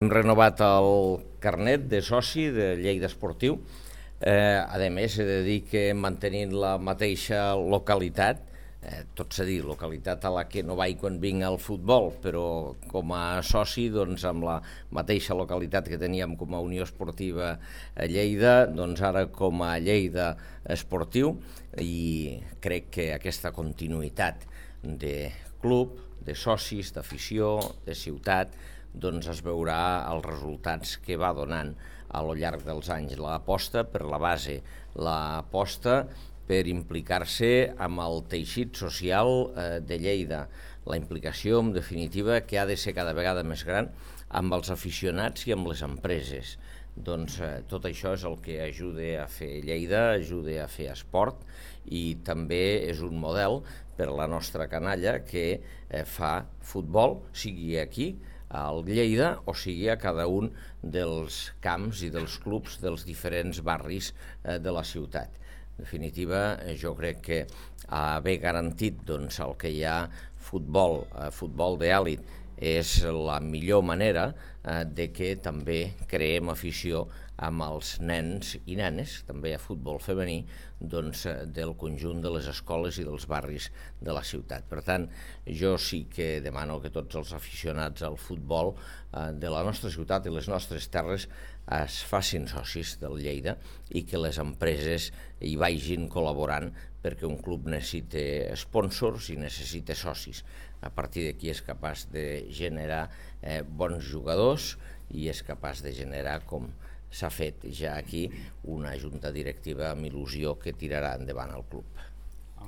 Hem renovat el carnet de soci de Lleida Esportiu. A més, he de dir que mantenint la mateixa localitat, tot s'ha dit, localitat a la que no vaig quan vinc al futbol, però com a soci, doncs, amb la mateixa localitat que teníem com a Unió Esportiva a Lleida, doncs ara com a Lleida Esportiu, i crec que aquesta continuïtat de club, de socis, d'afició, de ciutat, doncs es veurà els resultats que va donant a lo llarg dels anys. L'aposta per la base, l'aposta per implicar-se amb el teixit social de Lleida, la implicació, en definitiva, que ha de ser cada vegada més gran amb els aficionats i amb les empreses. Doncs tot això és el que ajuda a fer Lleida, ajuda a fer esport, i també és un model per a la nostra canalla que fa futbol, sigui aquí, al Lleida, o sigui a cada un dels camps i dels clubs dels diferents barris de la ciutat. En definitiva, jo crec que haver garantit doncs, el que hi ha futbol d'èlit és la millor manera de que també creem afició amb els nens i nenes, també a futbol femení, doncs, del conjunt de les escoles i dels barris de la ciutat. Per tant, jo sí que demano que tots els aficionats al futbol de la nostra ciutat i les nostres terres es facin socis del Lleida i que les empreses hi vagin col·laborant perquè un club necessita sponsors i necessita socis. A partir d'aquí és capaç de generar bons jugadors i és capaç de generar, com s'ha fet ja aquí, una junta directiva amb il·lusió que tirarà endavant el club.